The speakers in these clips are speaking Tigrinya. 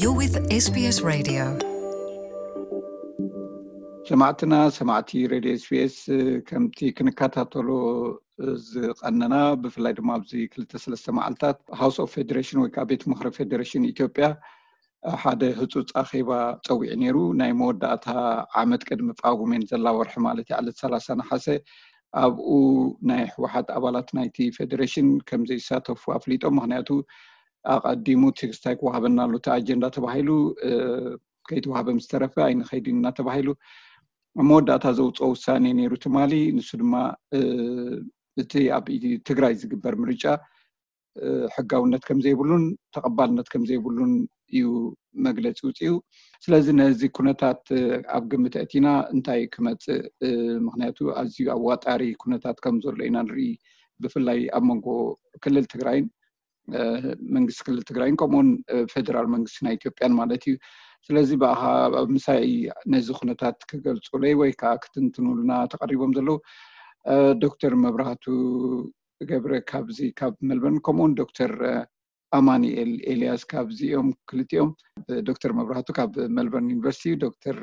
You're with S B S Radio. ሰማዕትና ሰማዕቲ ሬድዮ ኤስቢኤስ፣ ከምቲ ክንከታተሎ ዝቐነና፣ ብፍላይ ድማ ኣብዚ ክልተ ሰለስተ መዓልታት ሃውስ ኦፍ ፌዴሬሽን ወይ ከዓ ቤት ምኽሪ ፌዴሬሽን ኢትዮጵያ ሓደ ህፁፅ ኣኼባ ፀዊዑ ነይሩ። ናይ መወዳእታ ዓመት ቅድሚ ጳጉሜን ዘላ ወርሒ ማለት እዩ፣ ዕለት ሰላሳ ነሓሰ፣ ኣብኡ ናይ ህወሓት ኣባላት ናይቲ ፌዴሬሽን ከም ዘይሳተፉ ኣፍሊጦም። ምክንያቱ ኣቐዲሙ ትግስታይ ክወሃበና ኣሎ እቲ ኣጀንዳ ተባሂሉ፣ ከይተዋህበ ምስ ተረፈ ኣይንኸይድን ኢና ተባሂሉ። ኣብ መወዳእታ ዘውፅኦ ውሳኔ ነይሩ ትማሊ። ንሱ ድማ እቲ ኣብ ትግራይ ዝግበር ምርጫ ሕጋውነት ከም ዘይብሉን ተቐባልነት ከም ዘይብሉን እዩ መግለፂ ውፅኡ። ስለዚ ነዚ ኩነታት ኣብ ግምት ኣእቲና እንታይ ክመፅእ፣ ምክንያቱ ኣዝዩ ኣዋጣሪ ኩነታት ከም ዘሎ ኢና ንርኢ፣ ብፍላይ ኣብ መንጎ ክልል ትግራይን መንግስቲ ክልል ትግራይን ከምኡውን ፌደራል መንግስቲ ናይ ኢትዮጵያን ማለት እዩ። ስለዚ ብኣኻ ምሳይ ነዚ ኩነታት ክገልፁለይ ወይ ከዓ ክትንትኑልና ተቐሪቦም ዘለዉ ዶክተር መብራህቱ ገብረ ካብዚ ካብ መልበርን፣ ከምኡውን ዶክተር ኣማኒኤል ኤልያስ ካብዚኦም ክልቲኦም። ዶክተር መብራህቱ ካብ መልበርን ዩኒቨርሲቲ፣ ዶክተር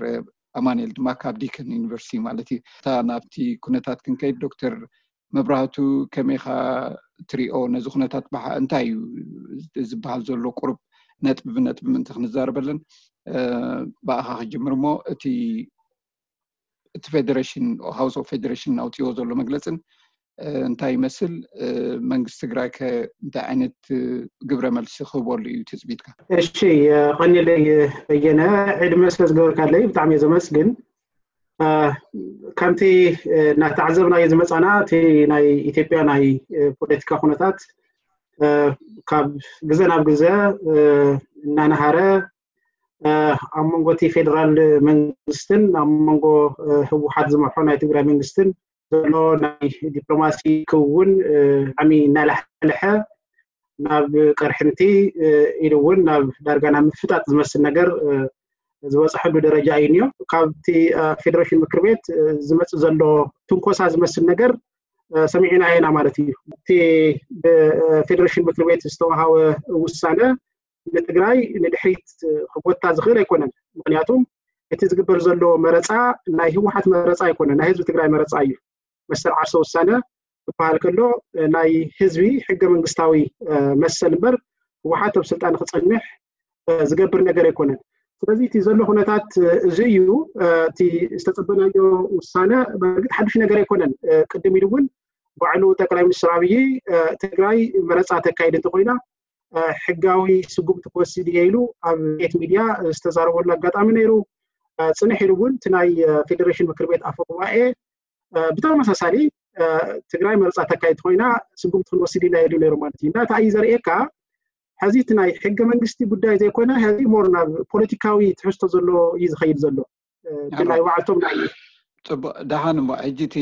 ኣማኒኤል ድማ ካብ ዲከን ዩኒቨርሲቲ ማለት እዩ። እታ ናብቲ ኩነታት ክንከይድ፣ ዶክተር መብራህቱ ከመይኻ ትሪኦ ነዚ ኩነታት? እንታይ እዩ ዝበሃል ዘሎ? ቁሩብ ነጥቢ ብነጥቢ ምእንቲ ክንዛረበለን ብኣኻ ክጅምር እሞ፣ እቲ እቲ ፌዴሬሽን፣ ሃውስ ኦፍ ፌዴሬሽን ኣውፅዎ ዘሎ መግለፅን እንታይ ይመስል? መንግስቲ ትግራይ ከ እንታይ ዓይነት ግብረ መልሲ ክህበሉ እዩ ትፅቢትካ? እሺ፣ ቀኒለይ በየነ፣ ዕድመ ስለ ዝገበርካለይ ብጣዕሚ እየ ዘመስግን። ከምቲ እናተዓዘብናዮ ዝመፃና፣ እቲ ናይ ኢትዮጵያ ናይ ፖለቲካ ኩነታት ካብ ግዘ ናብ ግዘ እናነሃረ፣ ኣብ መንጎ እቲ ፌደራል መንግስትን ኣብ መንጎ ህወሓት ዝመርሖ ናይ ትግራይ መንግስትን ዘሎ ናይ ዲፕሎማሲ ክውን ዓሚ እናላሕለሐ ናብ ቅርሕንቲ ኢሉ እውን ናብ ዳርጋ ናብ ምፍጣጥ ዝመስል ነገር ዝበፅሐሉ ደረጃ እዩ እኒኦ። ካብቲ ፌዴሬሽን ምክር ቤት ዝመፅእ ዘሎ ትንኮሳ ዝመስል ነገር ሰሚዕና ኢና ማለት እዩ። እቲ ብፌዴሬሽን ምክር ቤት ዝተዋሃወ ውሳነ ንትግራይ ንድሕሪት ክጎታ ዝኽእል ኣይኮነን። ምክንያቱም እቲ ዝግበር ዘሎ መረፃ ናይ ህወሓት መረፃ ኣይኮነን፣ ናይ ህዝቢ ትግራይ መረፃ እዩ። መሰል ዓርሰ ውሳነ ክበሃል ከሎ ናይ ህዝቢ ሕገ መንግስታዊ መሰል እምበር ህወሓት ኣብ ስልጣን ክፀንሕ ዝገብር ነገር ኣይኮነን። ስለዚ እቲ ዘሎ ኩነታት እዚ እዩ። እቲ ዝተፀበናዮ ውሳነ በእርግጥ ሓዱሽ ነገር ኣይኮነን። ቅድም ኢሉ እውን ባዕሉ ጠቅላይ ሚኒስትር ኣብይ ትግራይ መረፃ ተካይድ እንተኮይና ሕጋዊ ስጉምቲ ክወስድ እየ ኢሉ ኣብ ቤት ሚድያ ዝተዛረበሉ ኣጋጣሚ ነይሩ። ፅንሕ ኢሉ እውን እቲ ናይ ፌዴሬሽን ምክር ቤት ኣፈ ጉባኤ ብተመሳሳሊ ትግራይ መረፃ ተካይድ ኮይና ስጉምቲ ክንወስድ ኢና ኢሉ ነይሩ ማለት እዩ። እና እንታይ እዩ ዘርእየካ፣ ሕዚ እቲ ናይ ሕገ መንግስቲ ጉዳይ ዘይኮነ ሕዚ ሞር ናብ ፖለቲካዊ ትሕዝቶ ዘሎ እዩ ዝኸይድ ዘሎ። ብናይ ባዕልቶም ናይ ፅቡቅ፣ ደሓን እሞ ሕጂ እቲ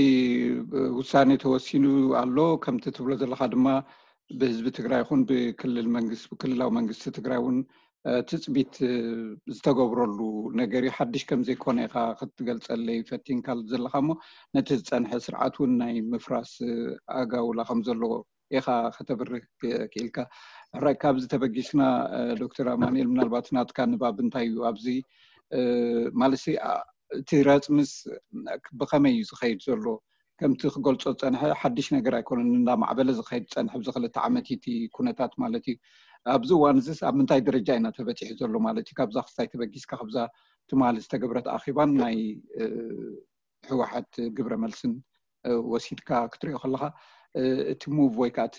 ውሳኔ ተወሲኑ ኣሎ። ከምቲ ትብሎ ዘለካ ድማ ብህዝቢ ትግራይ ይኹን ብክልል መንግስቲ፣ ብክልላዊ መንግስቲ ትግራይ እውን ትፅቢት ዝተገብረሉ ነገር እዩ። ሓድሽ ከም ዘይኮነ ኢኻ ክትገልፀለይ ፈቲንካ ዘለካ እሞ፣ ነቲ ዝፀንሐ ስርዓት እውን ናይ ምፍራስ ኣጋውላ ከም ዘለዎ ኢኻ ከተብርህ ክኢልካ። ሕራይ፣ ካብዚ ተበጊስና ዶክተር ኣማኑኤል፣ ምናልባት ናትካ ንባብ እንታይ እዩ ኣብዚ ማለት እቲ ረፅምስ ብኸመይ እዩ ዝኸይድ ዘሎ? ከምቲ ክገልፆ ዝፀንሐ ሓድሽ ነገር ኣይኮነን፣ እንዳማዕበለ ዝኸይድ ዝፀንሐ ኣብዚ ክልተ ዓመት እቲ ኩነታት ማለት እዩ። ኣብዚ እዋን እዚስ ኣብ ምንታይ ደረጃ ኢና ተበፂሑ ዘሎ ማለት እዩ? ካብዛ ክስታይ ተበጊስካ ካብዛ ትማሊ ዝተገብረት ኣኺባን ናይ ህወሓት ግብረ መልስን ወሲድካ ክትሪኦ ከለካ እቲ ሙቭ ወይ ከዓ እቲ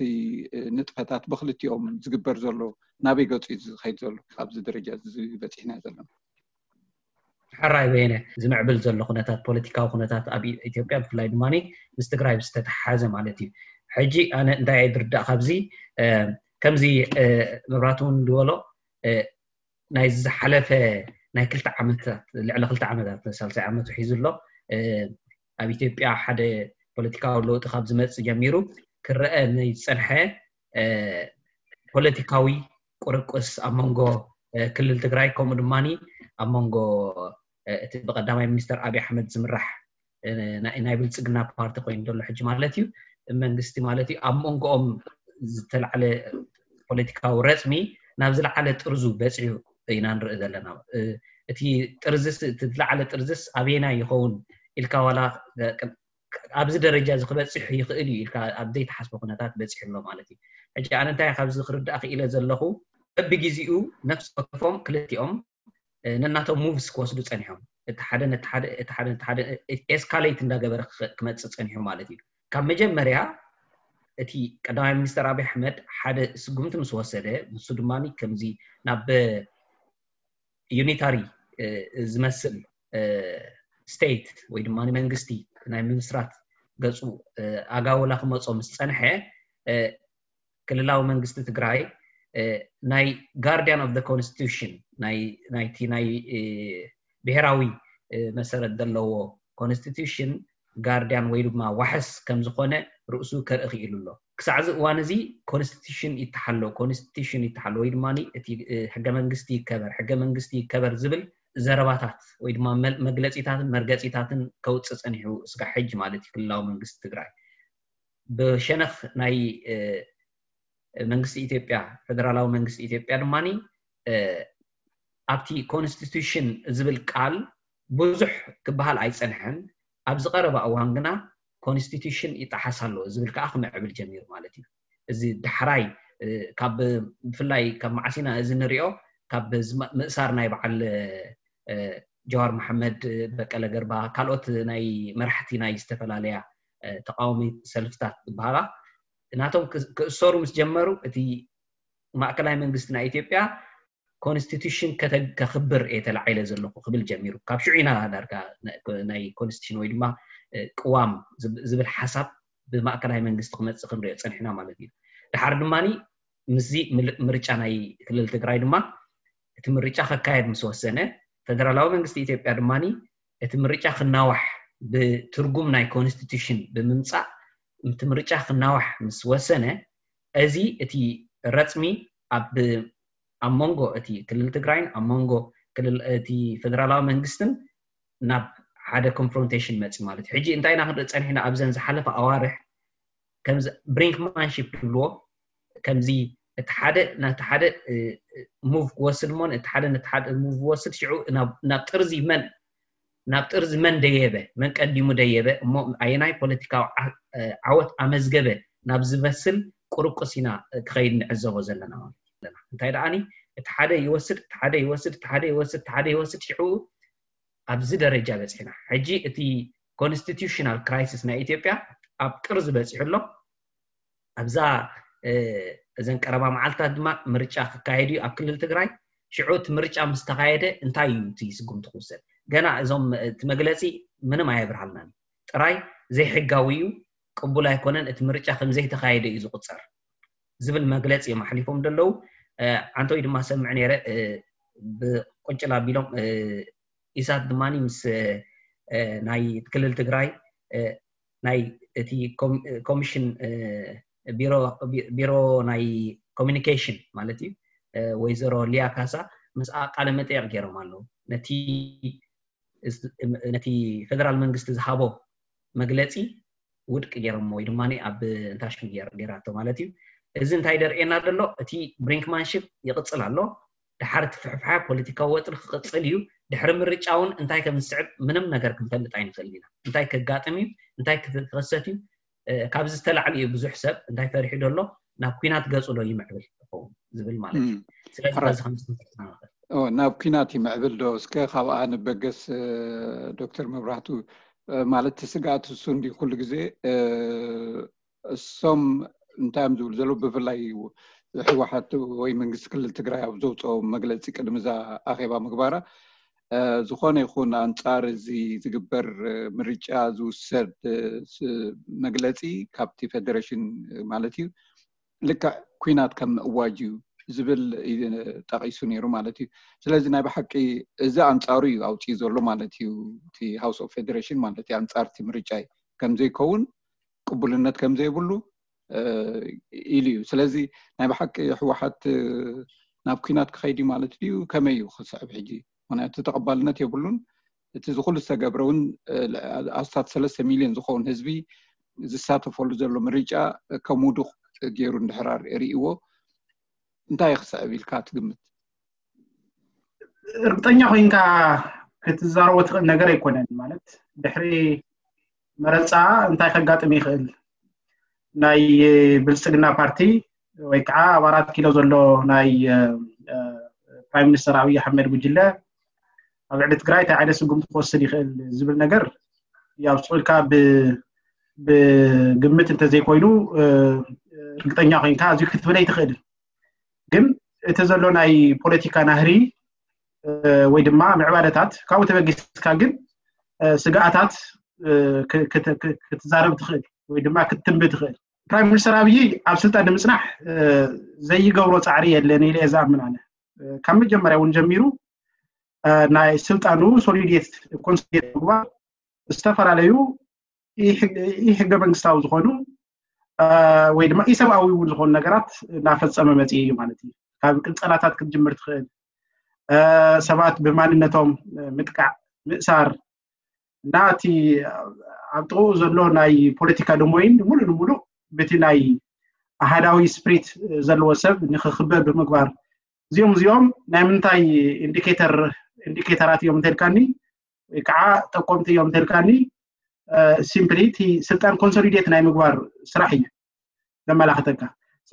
ንጥፈታት ብክልቲኦም ዝግበር ዘሎ ናበይ ገፁ እዩ ዝኸይድ ዘሎ? ኣብዚ ደረጃ እዚ በፂሕና ዘለና። ሕራይ በየነ፣ ዝምዕብል ዘሎ ኩነታት፣ ፖለቲካዊ ኩነታት ኣብ ኢትዮጵያ ብፍላይ ድማ ምስ ትግራይ ዝተተሓሓዘ ማለት እዩ። ሕጂ ኣነ እንታይ እየ ዝርዳእ ካብዚ፣ ከምዚ መብራቱ እውን ዝበሎ ናይ ዝሓለፈ ናይ ክልተ ዓመታት፣ ልዕሊ ክልተ ዓመታት፣ ሳልሳይ ዓመቱ ሒዙ ኣሎ። ኣብ ኢትዮጵያ ሓደ ፖለቲካዊ ለውጢ ካብ ዝመፅእ ጀሚሩ ክረአ ናይ ዝፀንሐ ፖለቲካዊ ቁርቁስ ኣብ መንጎ ክልል ትግራይ፣ ከምኡ ድማ ኣብ መንጎ እቲ ብቀዳማይ ሚኒስተር ኣብይ ኣሕመድ ዝምራሕ ናይ ብልፅግና ፓርቲ ኮይኑ ዘሎ ሕጂ ማለት እዩ፣ መንግስቲ ማለት እዩ፣ ኣብ መንጎኦም ዝተላዕለ ፖለቲካዊ ረፅሚ ናብ ዝለዓለ ጥርዙ በፂሑ ኢና ንርኢ ዘለና። እቲ ጥርዝስ እቲ ዝለዓለ ጥርዝስ ኣበየናይ ይኸውን ኢልካ ዋላ ኣብዚ ደረጃ እዚ ክበፅሕ ይኽእል እዩ ኢልካ ኣብ ዘይተሓስበ ኩነታት በፂሑ ኣሎ ማለት እዩ። ሕጂ ኣነ እንታይ ካብዚ ክርዳእ ክኢለ ዘለኹ፣ በብግዜኡ ነፍሲ ወከፎም ክልቲኦም ነናቶም ሙቭስ ክወስዱ ፀኒሖም፣ እቲ ሓደ ነቲ ሓደ እቲ ሓደ ነቲ ሓደ ኤስካሌት እንዳገበረ ክመፅእ ፀኒሑ ማለት እዩ። ካብ መጀመርያ እቲ ቀዳማይ ሚኒስተር ኣብይ ኣሕመድ ሓደ ስጉምቲ ምስ ወሰደ፣ ንሱ ድማ ከምዚ ናብ ዩኒታሪ ዝመስል ስቴት ወይ ድማ መንግስቲ ናይ ምምስራት ገፁ ኣጋውላ ክመፆ ምስ ፀንሐ፣ ክልላዊ መንግስቲ ትግራይ ናይ ጋርዲያን ኦፍ ኮንስቲቱሽን ናይቲ ናይ ብሔራዊ መሰረት ዘለዎ ኮንስቲቱሽን ጋርዲያን ወይ ድማ ዋሕስ ከም ዝኾነ ርእሱ ከርኢ ክኢሉ ኣሎ። ክሳዕ እዚ እዋን እዚ ኮንስቲቱሽን ይተሓሎ፣ ኮንስቲቱሽን ይተሓሎ ወይ ድማ እቲ ሕገ መንግስቲ ይከበር፣ ሕገ መንግስቲ ይከበር ዝብል ዘረባታት ወይ ድማ መግለፂታትን መርገፂታትን ከውፅእ ፀኒሑ እስካብ ሕጂ ማለት እዩ ክልላዊ መንግስቲ ትግራይ። ብሸነኽ ናይ መንግስቲ ኢትዮጵያ፣ ፌደራላዊ መንግስቲ ኢትዮጵያ ድማ ኣብቲ ኮንስቲቱሽን ዝብል ቃል ብዙሕ ክበሃል ኣይፀንሐን። ኣብዚ ቀረባ እዋን ግና ኮንስቲቱሽን ይጠሓስ ኣሎ ዝብል ከዓ ክምዕብል ጀሚሩ ማለት እዩ። እዚ ዳሕራይ ካብ ብፍላይ ካብ መዓሲና እዚ ንሪኦ ካብ ምእሳር ናይ በዓል ጀዋር መሓመድ፣ በቀለ ገርባ፣ ካልኦት ናይ መራሕቲ ናይ ዝተፈላለያ ተቃዋሚ ሰልፍታት ዝበሃላ ናቶም ክእሰሩ ምስ ጀመሩ እቲ ማእከላይ መንግስቲ ናይ ኢትዮጵያ ኮንስቲቱሽን ከኽብር እየ ተላዒለ ዘለኹ ክብል ጀሚሩ። ካብ ሽዑ ኢና ዳርጋ ናይ ኮንስቲቱሽን ወይ ድማ ቅዋም ዝብል ሓሳብ ብማእከላይ መንግስቲ ክመፅእ ክንሪኦ ፀኒሕና ማለት እዩ። ድሓር ድማ ምስዚ ምርጫ ናይ ክልል ትግራይ ድማ እቲ ምርጫ ከካየድ ምስ ወሰነ፣ ፌደራላዊ መንግስቲ ኢትዮጵያ ድማ እቲ ምርጫ ክናዋሕ ብትርጉም ናይ ኮንስቲቱሽን ብምምፃእ እቲ ምርጫ ክናዋሕ ምስ ወሰነ፣ እዚ እቲ ረፅሚ ኣብ ኣብ መንጎ እቲ ክልል ትግራይን ኣብ መንጎ እቲ ፌደራላዊ መንግስትን ናብ ሓደ ኮንፍሮንቴሽን መፂ ማለት እዩ። ሕጂ እንታይ ኢና ክንርኢ ፀኒሕና ኣብዘን ዝሓለፈ ኣዋርሕ ከምዚ ብሪንክማንሺፕ ዝብልዎ ከምዚ እቲ ሓደ ናቲ ሓደ ሙቭ ክወስድ እሞ እቲ ሓደ ነቲ ሓደ ሙቭ ክወስድ ሽዑ ናብ ጥርዚ መን ናብ ጥርዚ መን ደየበ መን ቀዲሙ ደየበ እሞ ኣየናይ ፖለቲካዊ ዓወት ኣመዝገበ ናብ ዝመስል ቁርቁስ ኢና ክኸይድ ንዕዘቦ ዘለና ማለት እዩ። እንታይ ደኣኒ እቲ ሓደ ይወስድ እቲ ሓደ ይወስድ እቲ ሓደ ይወስድ እቲ ሓደ ይወስድ ሽዑ ኣብዚ ደረጃ በፂሕና። ሕጂ እቲ ኮንስቲቱሽናል ክራይሲስ ናይ ኢትዮጵያ ኣብ ጥርዚ በፂሑ ኣሎ። ኣብዛ እዘን ቀረባ መዓልታት ድማ ምርጫ ክካየድ እዩ ኣብ ክልል ትግራይ። ሽዑ እቲ ምርጫ ምስ ተኻየደ እንታይ እዩ እቲ ስጉምቲ ክውሰድ? ገና እዞም እቲ መግለፂ ምንም ኣየብርሃልናን። ጥራይ ዘይሕጋዊ እዩ፣ ቅቡል ኣይኮነን፣ እቲ ምርጫ ከም ዘይተኻየደ እዩ ዝቁፀር ዝብል መግለፂ እዮም ኣሕሊፎም ዘለዉ። ዓንተወይ ድማ ሰምዕ ነይረ ብቁንጭል ኣቢሎም ኢሳት ድማ ምስ ናይ ክልል ትግራይ ናይ እቲ ኮሚሽን ቢሮ ናይ ኮሚኒኬሽን ማለት እዩ ወይዘሮ ሊያ ካሳ ምስ ቃለ መጠየቅ ገይሮም ኣለዉ። ነቲ ነቲ ፌደራል መንግስቲ ዝሃቦ መግለፂ ውድቂ ገይሮሞ ወይ ድማ ኣብ እንታሽም ገይራቶ ማለት እዩ። እዚ እንታይ ደርእየና ዘሎ? እቲ ብሪንክማንሽፕ ይቅፅል ኣሎ። ድሓር እቲ ፍሕፍሓ ፖለቲካዊ ወጥሪ ክቅፅል እዩ። ድሕሪ ምርጫ እውን እንታይ ከም ዝስዕብ ምንም ነገር ክንፈልጥ ኣይንኽእል ኢና። እንታይ ከጋጥም እዩ፣ እንታይ ክኸሰት እዩ፣ ካብዚ ዝተላዕሊ እዩ ብዙሕ ሰብ እንታይ ፈሪሑ ዘሎ ናብ ኩናት ገፁ ዶ ይምዕብል ይኸውን ዝብል ማለት እዩ። ስለዚ በዚ ከምዚ ናብ ኩናት ይምዕብል ዶ እስከ ካብኣ ንበገስ ዶክተር መብራህቱ ማለት እቲ ስግኣት እሱ እንዲ ኩሉ ግዜ እሶም እንታይ እዮም ዝብሉ ዘለዉ ብፍላይ ህወሓት ወይ መንግስቲ ክልል ትግራይ ኣብ ዘውፅኦ መግለፂ ቅድሚ እዛ ኣኼባ ምግባራ ዝኾነ ይኹን ኣንፃር እዚ ዝግበር ምርጫ ዝውሰድ መግለፂ ካብቲ ፌደሬሽን ማለት እዩ ልክዕ ኩናት ከም ምእዋጅ እዩ ዝብል ጠቂሱ ነይሩ ማለት እዩ። ስለዚ ናይ ብሓቂ እዚ ኣንፃሩ እዩ ኣውፅኡ ዘሎ ማለት እዩ። እቲ ሃውስ ኦፍ ፌደሬሽን ማለት እዩ ኣንፃር እቲ ምርጫ እዩ ከምዘይከውን ቅቡልነት ከምዘይብሉ ኢሉ እዩ። ስለዚ ናይ ብሓቂ ህወሓት ናብ ኩናት ክኸይድ እዩ ማለት ድዩ? ከመይ እዩ ክስዕብ ሕጂ? ምክንያቱ ተቐባልነት የብሉን። እቲ ዝኩሉ ዝተገብረ እውን ኣስታት ሰለስተ ሚሊዮን ዝኸውን ህዝቢ ዝሳተፈሉ ዘሎ ምርጫ ከም ውዱቕ ገይሩ እንድሕር ርእይዎ እንታይ ክስዕብ ኢልካ ትግምት? እርግጠኛ ኮይንካ ክትዛረቦ ትኽእል ነገር ኣይኮነን። ማለት ድሕሪ መረፃ እንታይ ከጋጥም ይኽእል? ናይ ብልፅግና ፓርቲ ወይ ከዓ ኣብ ኣራት ኪሎ ዘሎ ናይ ፕራይም ሚኒስተር ኣብይ ኣሕመድ ጉጅለ ኣብ ልዕሊ ትግራይ እንታይ ዓይነት ስጉምቲ ክወስድ ይኽእል ዝብል ነገር ያው ስቕ ኢልካ ብግምት እንተዘይኮይኑ እርግጠኛ ኮይንካ ኣዝዩ ክትብል ኣይትኽእልን። ግን እቲ ዘሎ ናይ ፖለቲካ ናህሪ ወይ ድማ ምዕባለታት ካብኡ ተበጊስካ ግን ስግኣታት ክትዛረብ ትኽእል ወይ ድማ ክትትንቢ ትኽእል። ፕራይም ሚኒስተር ኣብይ ኣብ ስልጣን ንምፅናሕ ዘይገብሮ ፃዕሪ የለን ኢለ እየ ዝኣምን ኣነ። ካብ መጀመርያ እውን ጀሚሩ ናይ ስልጣኑ ሶሊዴት ኮንሶሊዴት ምግባር ዝተፈላለዩ ኢ ሕገ መንግስታዊ ዝኾኑ ወይ ድማ ኢሰብኣዊ እውን ዝኾኑ ነገራት እናፈፀመ መፅኡ እዩ ማለት እዩ። ካብ ቅንፀላታት ክትጅምር ትኽእል፣ ሰባት ብማንነቶም ምጥቃዕ፣ ምእሳር እና እቲ ኣብ ጥቕኡ ዘሎ ናይ ፖለቲካ ደሞይን ሙሉእ ንሙሉእ ብቲ ናይ ኣሃዳዊ ስፕሪት ዘለዎ ሰብ ንክኽበብ ብምግባር እዚኦም እዚኦም ናይ ምንታይ ኢንዲኬተር ኢንዲኬተራት እዮም እንተልካኒ ወይ ከዓ ጠቆምቲ እዮም እንተልካኒ ሲምፕሊ እቲ ስልጣን ኮንሶሊዴት ናይ ምግባር ስራሕ እዩ ዘመላኽተካ።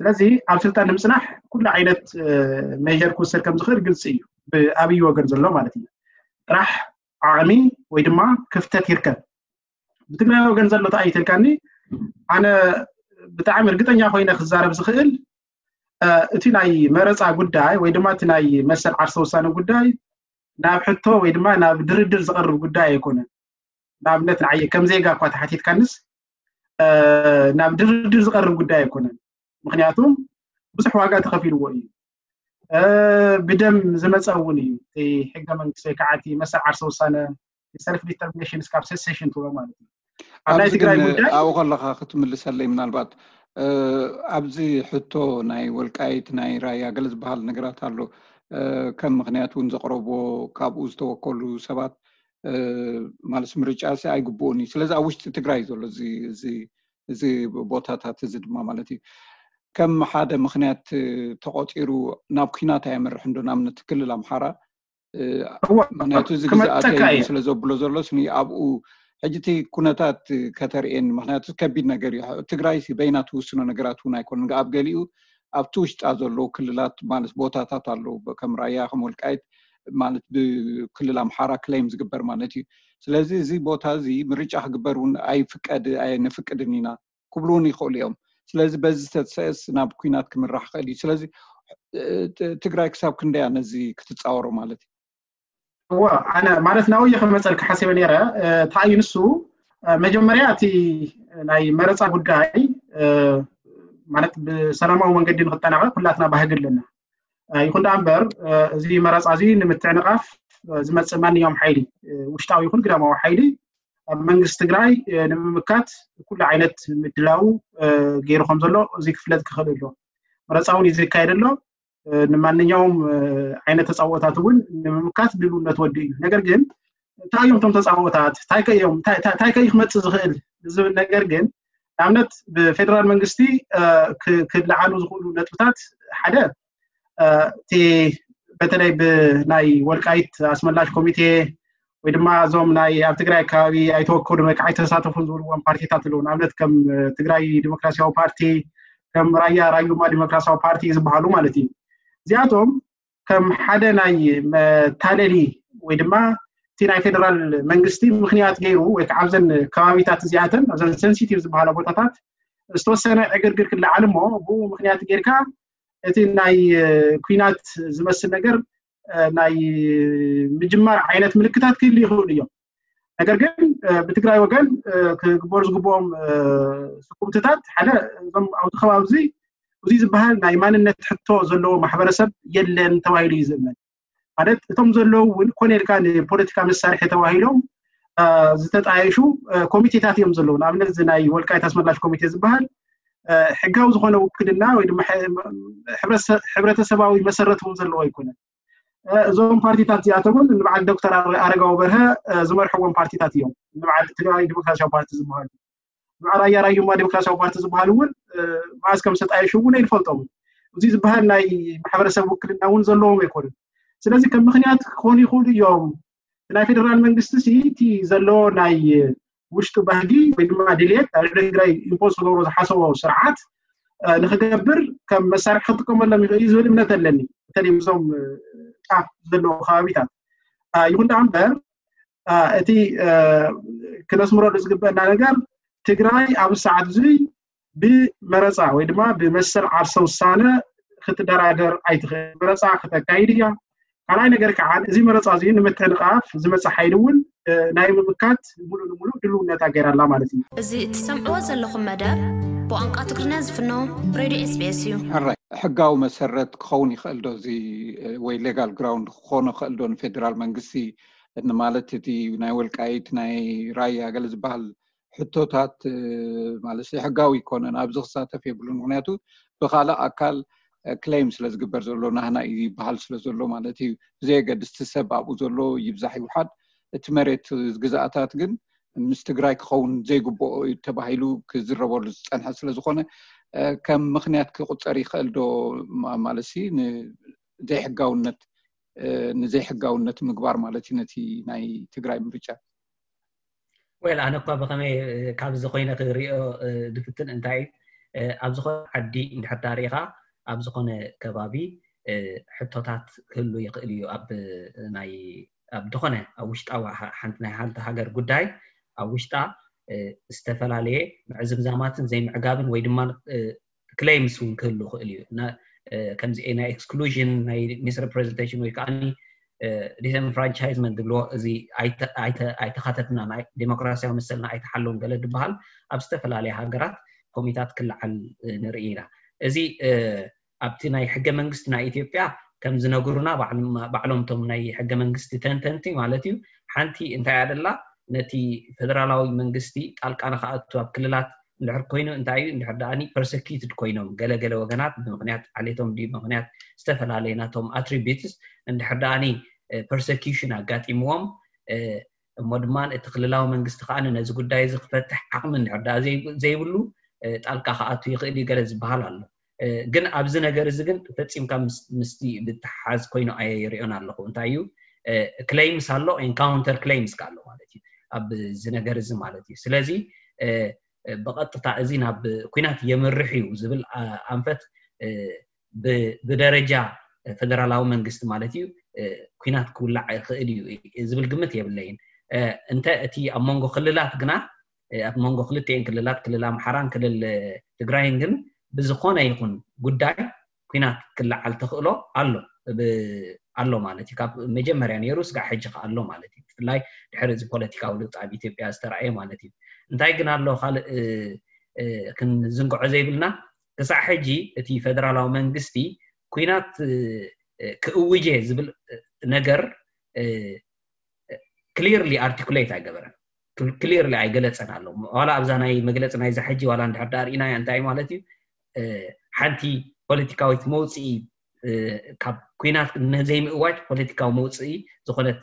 ስለዚ ኣብ ስልጣን ንምፅናሕ ኩሉ ዓይነት ሜር ክውሰድ ከም ዝኽእል ግልፂ እዩ። ብኣብይ ወገን ዘሎ ማለት እዩ። ጥራሕ ዓቕሚ ወይ ድማ ክፍተት ይርከብ። ብትግራይ ወገን ዘሎ ተኣይተልካኒ ኣነ ብጣዕሚ እርግጠኛ ኮይነ ክዛረብ ዝኽእል እቲ ናይ መረፃ ጉዳይ ወይ ድማ እቲ ናይ መሰል ዓርሰ ውሳነ ጉዳይ ናብ ሕቶ ወይ ድማ ናብ ድርድር ዝቐርብ ጉዳይ ኣይኮነን። ንኣብነት ንዓየ ከም ዜጋ እኳ ተሓቲትካንስ ናብ ድርድር ዝቐርብ ጉዳይ ኣይኮነን። ምክንያቱም ብዙሕ ዋጋ ተኸፊልዎ እዩ። ብደም ዝመፀ እውን እዩ። ሕገ መንግስቲ ወይ ከዓ መሰል ዓርሰ ውሳነ ሰልፍ ዲተርሚኔሽን እስካብ ሴሴሽን ትብሎ ማለት እዩ። ኣብ ናይ ትግራይ ጉዳይ ኣብኡ ከለካ ክትምልሰለይ ምናልባት ኣብዚ ሕቶ ናይ ወልቃይት ናይ ራያ ገለ ዝበሃል ነገራት ኣሎ። ከም ምክንያት እውን ዘቅረብዎ ካብኡ ዝተወከሉ ሰባት ማለት ምርጫ ሲ ኣይግብኡን እዩ። ስለዚ ኣብ ውሽጢ ትግራይ ዘሎ እዚ ቦታታት እዚ ድማ ማለት እዩ ከም ሓደ ምክንያት ተቆፂሩ ናብ ኩናት ኣየምርሕ እንዶ ንኣብነት ክልል ኣምሓራ ምክንያቱ እዚ ግዛኣተይ ስለ ዘብሎ ዘሎ ስኒ ኣብኡ ሕጂ እቲ ኩነታት ከተርእየኒ ምክንያቱ ከቢድ ነገር እዩ። ትግራይ በይና ትውስኖ ነገራት እውን ኣይኮነን። ኣብ ገሊኡ ኣብቲ ውሽጣ ዘለዉ ክልላት ማለት ቦታታት ኣለዉ ከም ራያ ከም ወልቃይት ማለት ብክልል ኣምሓራ ክሌም ዝግበር ማለት እዩ። ስለዚ እዚ ቦታ እዚ ምርጫ ክግበር እውን ኣይፍቀድ ኣይነፍቅድን ኢና ክብሉ እውን ይኽእሉ እዮም። ስለዚ በዚ ዝተሰእስ ናብ ኩናት ክምራሕ ክእል እዩ። ስለዚ ትግራይ ክሳብ ክንደያ ነዚ ክትፃወሮ ማለት እዩ? እዋ ኣነ ማለት ናብየ ከመፀልካ ሓሲበ ነይረ። እንታይ እዩ ንሱ መጀመርያ እቲ ናይ መረፃ ጉዳይ ማለት ብሰላማዊ መንገዲ ንክጠናቀቅ ኩላትና ባህጊ ኣለና። ይኹን ደኣ እምበር እዚ መረፃ እዚ ንምትዕንቃፍ ዝመፅእ ማንኛውም ሓይሊ ውሽጣዊ ይኹን ግዳማዊ ሓይሊ ኣብ መንግስቲ ትግራይ ንምምካት ኩሉ ዓይነት ምድላው ገይሩ ከም ዘሎ እዚ ክፍለጥ ክኽእል ኣሎ። መረፃ እውን እዩ ዝካየድ ኣሎ። ንማንኛውም ዓይነት ተፃውኦታት እውን ንምምካት ድልውነት ወዲ እዩ። ነገር ግን እንታይ እዮም እቶም ተፃውኦታት እንታይ ከእዮም እንታይ ከእዩ ክመፅእ ዝኽእል ዝብል ነገር ግን ንኣብነት ብፌደራል መንግስቲ ክልዓሉ ዝኽእሉ ነጥብታት ሓደ እቲ በተለይ ብናይ ወልቃይት ኣስመላሽ ኮሚቴ ወይ ድማ እዞም ናይ ኣብ ትግራይ ኣከባቢ ኣይተወከሉን ወይ ከዓ ኣይተሳተፉን ዝብልዎም ፓርቲታት ኣለዉ። ንኣብነት ከም ትግራይ ዲሞክራሲያዊ ፓርቲ፣ ከም ራያ ራዩማ ዲሞክራሲያዊ ፓርቲ ዝበሃሉ ማለት እዩ። እዚኣቶም ከም ሓደ ናይ መታለሊ ወይ ድማ እቲ ናይ ፌደራል መንግስቲ ምክንያት ገይሩ ወይ ከዓ ኣብዘን ከባቢታት እዚኣተን ኣብዘን ሰንሲቲቭ ዝበሃላ ቦታታት ዝተወሰነ ዕግርግር ክለዓል እሞ ብኡ ምክንያት ጌርካ እቲ ናይ ኩናት ዝመስል ነገር ናይ ምጅማር ዓይነት ምልክታት ክህሉ ይኽእሉ እዮም። ነገር ግን ብትግራይ ወገን ክግበሩ ዝግብኦም ስጉምትታት ሓደ እዞም ኣብዚ ከባቢ እዚ እዚ ዝበሃል ናይ ማንነት ሕቶ ዘለዎ ማሕበረሰብ የለን ተባሂሉ እዩ ዝእመን። ማለት እቶም ዘለዉ እውን ኮነ ኢልካ ንፖለቲካ መሳርሒ ተባሂሎም ዝተጣየሹ ኮሚቴታት እዮም ዘለዉ። ንኣብነት እዚ ናይ ወልቃይት ኣስመላሽ ኮሚቴ ዝበሃል ሕጋዊ ዝኾነ ውክልና ወይ ድማ ሕብረተሰባዊ መሰረት እውን ዘለዎ ኣይኮነን። እዞም ፓርቲታት እዚኣቶም እውን ንበዓል ዶክተር ኣረጋዊ በርሀ ዝመርሕዎም ፓርቲታት እዮም። ንበዓል ትግራይ ዲሞክራሲያዊ ፓርቲ ዝበሃሉ ንበዓል ራያ ራዩማ ዲሞክራሲያዊ ፓርቲ ዝበሃሉ እውን መዓዝ ከም ዝተጣየሹ እውን ኣይንፈልጦም። እዚ ዝበሃል ናይ ማሕበረሰብ ውክልና እውን ዘለዎም ኣይኮኑን። ስለዚ ከም ምኽንያት ክኾኑ ይኽእሉ እዮም። ናይ ፌደራል መንግስቲ ሲ እቲ ዘለዎ ናይ ውሽጡ ባህጊ ወይ ድማ ድልየት ኣብ ትግራይ ኢምፖዝ ክገብሮ ዝሓሰቦ ስርዓት ንክገብር ከም መሳርሒ ክጥቀመሎም ይኽእል እዩ ዝብል እምነት ኣለኒ። በተለይ እዞም ጫፍ ዘለዎ ከባቢታት ይኹን ደኣ እምበር እቲ ክነስምረሉ ዝግበአና ነገር ትግራይ ኣብ ሰዓት እዙይ ብመረፃ ወይ ድማ ብመሰል ዓርሰ ውሳነ ክትደራደር ኣይትኽእል። መረፃ ክተካይድ እያ። ካልኣይ ነገር ከዓ እዚ መረፃ እዚ ንምትዕንቃፍ ዝመፀ ሓይሊ እውን ናይ ምምካት ሙሉ ንሙሉ ድልውነታ ገይራላ ማለት እዩ። እዚ እትሰምዕዎ ዘለኹም መደብ ብቋንቋ ትግርኛ ዝፍኖ ሬድዮ ኤስቢኤስ እዩ። ሕራይ ሕጋዊ መሰረት ክኸውን ይኽእል ዶ እዚ ወይ ሌጋል ግራውንድ ክኾኖ ይኽእል ዶ ንፌዴራል መንግስቲ ንማለት እቲ ናይ ወልቃይት ናይ ራያ ገለ ዝበሃል ሕቶታት ማለት ሕጋዊ ይኮነን ኣብዚ ክሳተፍ የብሉን ምክንያቱ ብካልእ ኣካል ክሌም ስለ ዝግበር ዘሎ ናህና እዩ ይበሃል ስለ ዘሎ ማለት እዩ ብዘየገድስ እቲ ሰብ ኣብኡ ዘሎ ይብዛሕ ይውሓድ እቲ መሬት ግዝኣታት ግን ምስ ትግራይ ክኸውን ዘይግብኦ እዩ ተባሂሉ ክዝረበሉ ዝፀንሐ ስለዝኮነ ከም ምክንያት ክቁፀር ይኽእል ዶ ማለት ሲ ዘይሕጋውነት ንዘይሕጋውነት ምግባር ማለት እዩ ነቲ ናይ ትግራይ ምርጫ ወይል ኣነ እኳ ብከመይ ካብዚ ኮይነ ክሪኦ ድፍትን እንታይ ኣብ ዝኾነ ዓዲ እንድሕር ዳሪኻ ኣብ ዝኾነ ከባቢ ሕቶታት ክህሉ ይኽእል እዩ ኣብ ናይ ኣብ ዝኾነ ኣብ ውሽጣዊ ሓንቲ ናይ ሓንቲ ሃገር ጉዳይ ኣብ ውሽጣ ዝተፈላለየ ምዕዝምዛማትን ዘይምዕጋብን ወይ ድማ ክሌምስ እውን ክህሉ ይኽእል እዩ ከምዚ ናይ exclusion ናይ misrepresentation ወይ ከዓ disenfranchisement ዝብልዎ እዚ ኣይተኻተትና ናይ ዴሞክራሲያዊ መሰልና ኣይተሓለውን ገለ ዝበሃል ኣብ ዝተፈላለየ ሃገራት ኮሚታት ክለዓል ንርኢ ኢና እዚ ኣብቲ ናይ ሕገ መንግስቲ ናይ ኢትዮጵያ ከም ዝነግሩና ባዕሎም እቶም ናይ ሕገ መንግስቲ ተንተንቲ ማለት እዩ ሓንቲ እንታይ ኣደላ ነቲ ፌደራላዊ መንግስቲ ጣልቃ ንክኣቱ ኣብ ክልላት እንድሕር ኮይኑ እንታይ እዩ እንድሕር ደኣኒ persecuted ኮይኖም ገለገለ ወገናት ብምክንያት ዓሌቶም ድዩ ብምክንያት ዝተፈላለየ ናቶም attributes እንድሕር ደኣኒ persecution ኣጋጢምዎም እሞ ድማ እቲ ክልላዊ መንግስቲ ከዓ ነዚ ጉዳይ እዚ ክፈትሕ ዓቕሚ እንድሕር ደኣ ዘይብሉ ጣልቃ ክኣቱ ይኽእል እዩ ገለ ዝበሃል ኣሎ ግን ኣብዚ ነገር እዚ ግን ፈፂምካ ምስቲ ብተሓዝ ኮይኑ ኣየ ይሪኦን ኣለኹ እንታይ እዩ claims ኣሎ counter claims ኣሎ ማለት እዩ ኣብዚ ነገር እዚ ማለት እዩ ስለዚ ብቐጥታ እዚ ናብ ኩናት የምርሕ እዩ ዝብል ኣንፈት ብደረጃ ፌደራላዊ መንግስቲ ማለት እዩ ኩናት ክውላዕ ይኽእል እዩ ዝብል ግምት የብለይን እንተ እቲ ኣብ መንጎ ክልላት ግና ኣብ መንጎ ክልቲኤን ክልላት ክልል ኣምሓራን ክልል ትግራይን ግን ብዝኾነ ይኹን ጉዳይ ኩናት ክለዓል ተኽእሎ ኣሎ ኣሎ ማለት እዩ ካብ መጀመርያ ነይሩ ስጋዕ ሕጂ ከ ኣሎ ማለት እዩ ብፍላይ ድሕሪ እዚ ፖለቲካዊ ለውጢ ኣብ ኢትዮጵያ ዝተረኣየ ማለት እዩ እንታይ ግን ኣሎ ካልእ ክንዝንግዖ ዘይብልና ክሳዕ ሕጂ እቲ ፌደራላዊ መንግስቲ ኩናት ክእውጀ ዝብል ነገር clearly articulate ኣይገበረን clearly ኣይገለፀን ኣሎ ዋላ ኣብዛ ናይ መግለፂ ናይዛ ሕጂ ዋላ እንድሕር ዳኣ ርኢናያ እንታይ ማለት እዩ ሓንቲ ፖለቲካዊት መውፅኢ ካብ ኩናት ንዘይምእዋጅ ፖለቲካዊ መውፅኢ ዝኾነት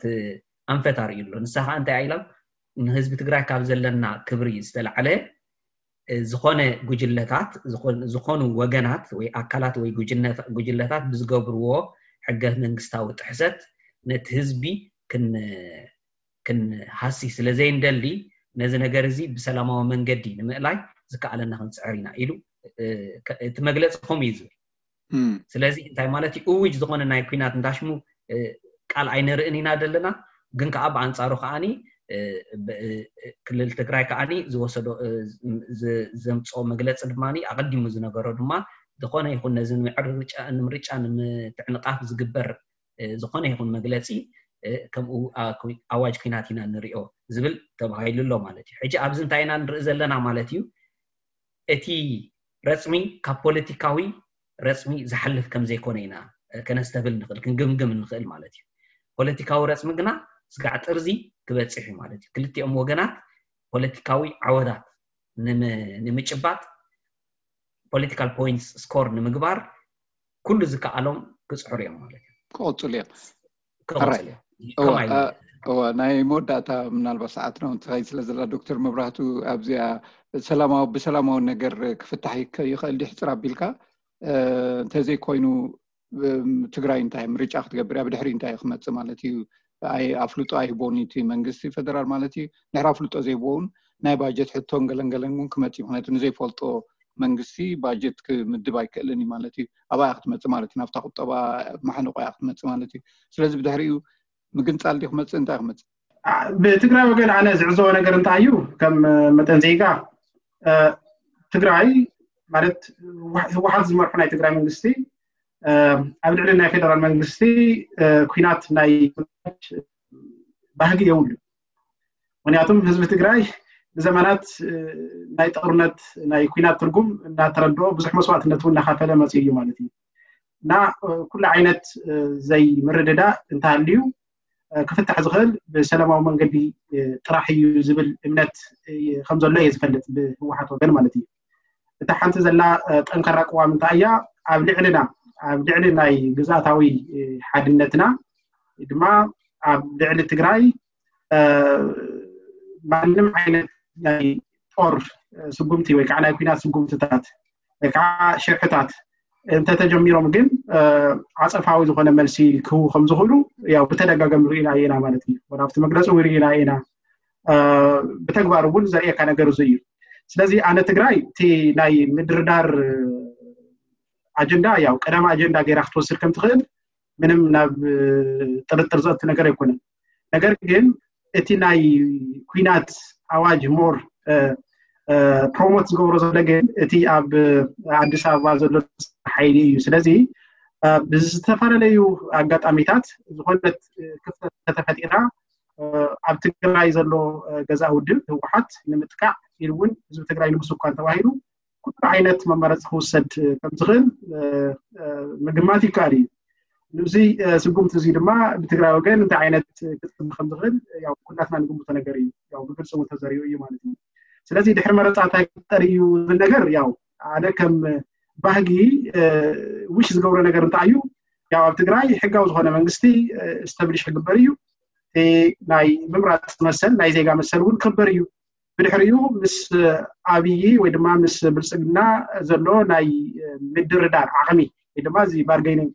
ኣንፈት ኣርእዩ ኣሎ ንሳ ከዓ እንታይ ኢሎም ንህዝቢ ትግራይ ካብ ዘለና ክብሪ ዝተላዕለ ዝኾነ ጉጅለታት ዝኾኑ ወገናት ወይ ኣካላት ወይ ጉጅለታት ብዝገብርዎ ሕገ መንግስታዊ ጥሕሰት ነቲ ህዝቢ ክንሃሲ ስለ ዘይንደሊ ነዚ ነገር እዚ ብሰላማዊ መንገዲ ንምእላይ ዝከኣለና ክንፅዕር ኢና ኢሉ እቲ መግለፂ ከምኡ እዩ ዝብል ስለዚ እንታይ ማለት እዩ እውጅ ዝኾነ ናይ ኩናት እንዳሽሙ ቃል ኣይንርእን ኢና ዘለና ግን ከዓ ብኣንፃሩ ከዓኒ ክልል ትግራይ ከዓኒ ዝወሰዶ ዘምፅኦ መግለፂ ድማ ኣቀዲሙ ዝነበሮ ድማ ዝኾነ ይኹን ነዚ ንምርጫ ንምትዕንቃፍ ዝግበር ዝኾነ ይኹን መግለፂ ከምኡ ኣዋጅ ኩናት ኢና ንሪኦ ዝብል ተባሂሉ ኣሎ ማለት እዩ ሕጂ ኣብዚ እንታይ ኢና ንርኢ ዘለና ማለት እዩ እቲ ረፅሚ ካብ ፖለቲካዊ ረፅሚ ዝሓልፍ ከም ዘይኮነ ኢና ከነስተብል ንኽእል ክንግምግም ንኽእል ማለት እዩ ፖለቲካዊ ረፅሚ ግና ስጋዕ ጥርዚ ክበፅሕ እዩ ማለት እዩ ክልቲኦም ወገናት ፖለቲካዊ ዓወታት ንምጭባጥ political points score ንምግባር ኩሉ ዝከኣሎም ክፅዕሩ እዮም ማለት እዩ ክቐፅሉ እዮም ክቐፅሉ እዮም ናይ መወዳእታ ምናልባት ሰዓትና እውን ትኸይድ ስለ ዘላ ዶክተር መብራህቱ ኣብዚኣ ሰላማዊ ብሰላማዊ ነገር ክፍታሕ ይኽእል ድዩ ሕፅር ኣቢልካ እንተዘይኮይኑ ትግራይ እንታይ ምርጫ ክትገብር እያ፣ ብድሕሪ እንታይ ክመፅእ ማለት እዩ። ኣፍልጦ ኣይቦን እቲ መንግስቲ ፌደራል ማለት እዩ። ድሕሪ ኣፍልጦ ዘይቦውን ናይ ባጀት ሕቶን ገለንገለን እውን ክመፅእ እዩ። ምክንያቱ ንዘይፈልጦ መንግስቲ ባጀት ክምድብ ኣይክእልን እዩ ማለት እዩ። ኣብኣ ክትመፅእ ማለት እዩ። ናብታ ቁጠባ ማሕንቆ እያ ክትመፅእ ማለት እዩ። ስለዚ ብድሕሪኡ ምግንፃል ድዩ ክመፅእ፣ እንታይ ክመፅእ? ብትግራይ ወገን ኣነ ዝዕዘቦ ነገር እንታይ እዩ፣ ከም መጠን ዜጋ ትግራይ ማለት ህወሓት ዝመርሑ ናይ ትግራይ መንግስቲ ኣብ ልዕሊ ናይ ፌደራል መንግስቲ ኩናት ናይ ባህጊ የብሉ። ምክንያቱም ህዝቢ ትግራይ ንዘመናት ናይ ጦርነት ናይ ኩናት ትርጉም እናተረድኦ ብዙሕ መስዋዕትነት እውን እናካፈለ መፅኡ እዩ ማለት እዩ። እና ኩሉ ዓይነት ዘይምርድዳእ እንተሃልዩ ክፍታሕ ዝኽእል ብሰላማዊ መንገዲ ጥራሕ እዩ ዝብል እምነት ከም ዘሎ እየ ዝፈልጥ፣ ብህወሓት ወገን ማለት እዩ። እታ ሓንቲ ዘላ ጠንካራ ቅዋም እንታይ እያ? ኣብ ልዕልና ኣብ ልዕሊ ናይ ግዝኣታዊ ሓድነትና ድማ ኣብ ልዕሊ ትግራይ ማንም ዓይነት ናይ ጦር ስጉምቲ ወይ ከዓ ናይ ኩናት ስጉምትታት ወይ ከዓ ሽርሕታት እንተተጀሚሮም ግን ዓፀፋዊ ዝኾነ መልሲ ክህቡ ከም ዝኽእሉ ያው ብተደጋጋሚ ርኢና ኢና ማለት እዩ። ወላ ኣብቲ መግለፂ እውን ርኢና ኢና። ብተግባር እውን ዘርእየካ ነገር እዚ እዩ። ስለዚ ኣነ ትግራይ እቲ ናይ ምድርዳር ኣጀንዳ ያው ቀዳሚ ኣጀንዳ ገይራ ክትወስድ ከም ትኽእል ምንም ናብ ጥርጥር ዘእቱ ነገር ኣይኮነን። ነገር ግን እቲ ናይ ኩናት ኣዋጅ ሞር ፕሮሞት ዝገብሮ ዘሎ ግን እቲ ኣብ ኣዲስ ኣበባ ዘሎ ሓይሊ እዩ። ስለዚ ብዝተፈላለዩ ኣጋጣሚታት ዝኾነት ክፍተት ከተፈጢራ ኣብ ትግራይ ዘሎ ገዛ ውድብ ህወሓት ንምጥቃዕ ኢሉ እውን ህዝቢ ትግራይ ንምስኳን ተባሂሉ ኩሉ ዓይነት መመረፂ ክውሰድ ከም ዝኽእል ምግማት ይከኣል እዩ። ንዚ ስጉምቲ እዚ ድማ ብትግራይ ወገን እንታይ ዓይነት ክፅብ ከም ዝኽእል ያው ኩላትና ንግምቶ ነገር እዩ። ያው ብግልፂ እውን ተዘሪኡ እዩ ማለት እዩ። ስለዚ ድሕሪ መረፃ እንታይ ክፍጠር እዩ ዝብል ነገር ያው ኣነ ከም ባህጊ ውሽ ዝገብሮ ነገር እንታይ እዩ፣ ያው ኣብ ትግራይ ሕጋዊ ዝኾነ መንግስቲ ስተብሊሽ ክግበር እዩ። ናይ ምምራፅ መሰል ናይ ዜጋ መሰል እውን ክበር እዩ። ብድሕሪኡ ምስ ኣብይ ወይ ድማ ምስ ብልፅግና ዘሎ ናይ ምድርዳር ዓቕሚ ወይ ድማ እዚ ባርገይኒንግ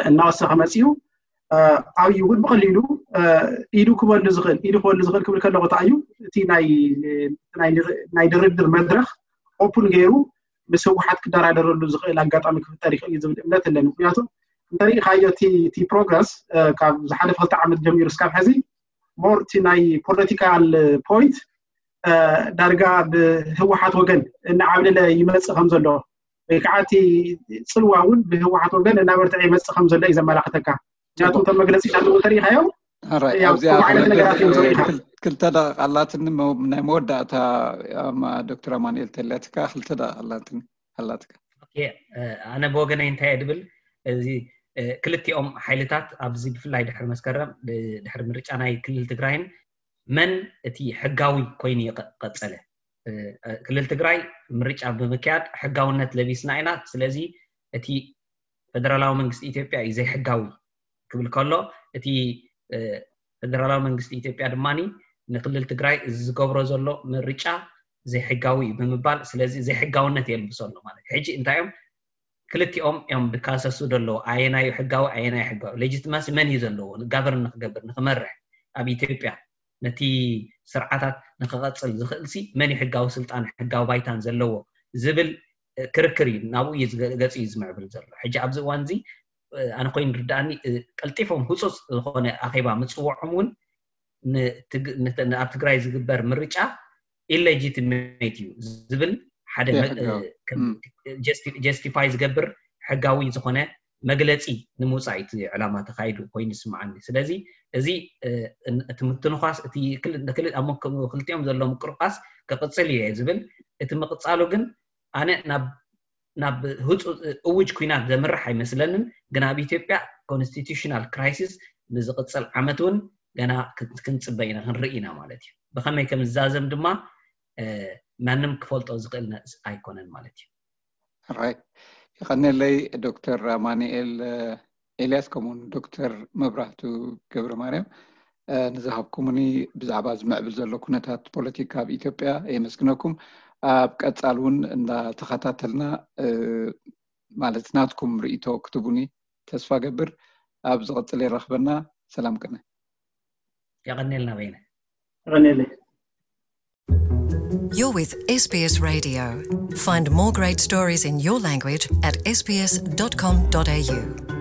እናወሰኸ መፅኡ ኣብይ እውን ብቐሊሉ ኢዱ ክበሉ ዝኽእል ኢዱ ክበሉ ዝኽእል ክብል ከለኹ እንታይ እዩ እቲ ናይ ድርድር መድረኽ ኦፕን ገይሩ ምስ ህወሓት ክደራደረሉ ዝኽእል ኣጋጣሚ ክፍጠር ይኽእል እዩ ዝብል እምነት ኣለኒ። ምክንያቱ እንተሪኢኻዮ እቲ ፕሮግረስ ካብ ዝሓለፈ ክልተ ዓመት ጀሚሩ እስካብ ሕዚ ሞር እቲ ናይ ፖለቲካል ፖይንት ዳርጋ ብህወሓት ወገን እናዓብለለ ይመፅእ ከም ዘሎ ወይ ከዓ እቲ ፅልዋ እውን ብህወሓት ወገን እናበርትዐ ይመፅእ ከም ዘሎ እዩ ዘመላኽተካ። ምክንያቱ እቶም መግለፂታት እውን ተሪኢኻዮም ኣብዚኣ ክልተ ደቂቕ ኣላትኒ ናይ መወዳእታ ዶክተር ኣማኑኤል ተለትካ ክልተ ደቂቕ ኣላትኒ ኣላትካ። ኣነ ብወገነይ እንታይ እየ ድብል፣ እዚ ክልቲኦም ሓይልታት ኣብዚ ብፍላይ ድሕሪ መስከረም ድሕሪ ምርጫ ናይ ክልል ትግራይን መን እቲ ሕጋዊ ኮይኑ ይቐፀለ። ክልል ትግራይ ምርጫ ብምክያድ ሕጋውነት ለቢስና ኢና። ስለዚ እቲ ፌደራላዊ መንግስቲ ኢትዮጵያ እዩ ዘይሕጋዊ ክብል ከሎ፣ እቲ ፌደራላዊ መንግስቲ ኢትዮጵያ ድማ ንክልል ትግራይ እዚ ዝገብሮ ዘሎ ምርጫ ዘይሕጋዊ እዩ ብምባል፣ ስለዚ ዘይሕጋውነት የልብሶ ኣሎ ማለት እዩ። ሕጂ እንታይ እዮም ክልቲኦም እዮም ድካሰሱ ደለዉ፣ ኣየናዩ ሕጋዊ ኣየናዩ ሕጋዊ፣ ሌጂትማሲ መን እዩ ዘለዎ ጋቨርን ንክገብር ንክመርሕ ኣብ ኢትዮጵያ ነቲ ስርዓታት ንክቐፅል ዝኽእል ሲ መን እዩ ሕጋዊ ስልጣን ሕጋዊ ባይታን ዘለዎ ዝብል ክርክር እዩ። ናብኡ እዩ ገፂ እዩ ዝምዕብል ዘሎ። ሕጂ ኣብዚ እዋን እዚ ኣነ ኮይኑ ርዳኣኒ ቀልጢፎም ህፁፅ ዝኾነ ኣኼባ ምፅወዖም እውን ኣብ ትግራይ ዝግበር ምርጫ ኢሌጂቲሜት እዩ ዝብል ሓደ ጀስቲፋይ ዝገብር ሕጋዊ ዝኾነ መግለፂ ንምውፃእ እቲ ዕላማ ተካይዱ ኮይኑ ይስምዓኒ። ስለዚ እዚ እቲ ምትንኳስ እቲ ክልቲኦም ዘሎ ምቅርቃስ ክቅፅል እየ ዝብል። እቲ ምቅፃሉ ግን ኣነ ናብ ናብ ህፁ እውጅ ኩናት ዘምርሕ ኣይመስለንን። ግን ኣብ ኢትዮጵያ ኮንስቲቱሽናል ክራይሲስ ንዝቅፅል ዓመት እውን ገና ክንፅበ ኢና ክንርኢ ኢና ማለት እዩ። ብከመይ ከም ዝዛዘም ድማ ማንም ክፈልጦ ዝኽእል ኣይኮነን ማለት እዩ። ራይት፣ ይቀነለይ ዶክተር ኣማኑኤል ኤልያስ ከምኡውን ዶክተር መብራህቱ ገብረ ማርያም ንዝሃብኩምኒ ብዛዕባ ዝምዕብል ዘሎ ኩነታት ፖለቲካ ኣብ ኢትዮጵያ የመስግነኩም። ኣብ ቀፃል እውን እንዳተኸታተልና ማለት ናትኩም ርእይቶ ክትቡኒ ተስፋ ገብር። ኣብ ዝቐጽል የራኽበና። ሰላም ቅነ። የቐኔልና በይነ። የቐኔለይ። You're with S B S Radio. Find more great stories in your language at S B S dot com dot A U.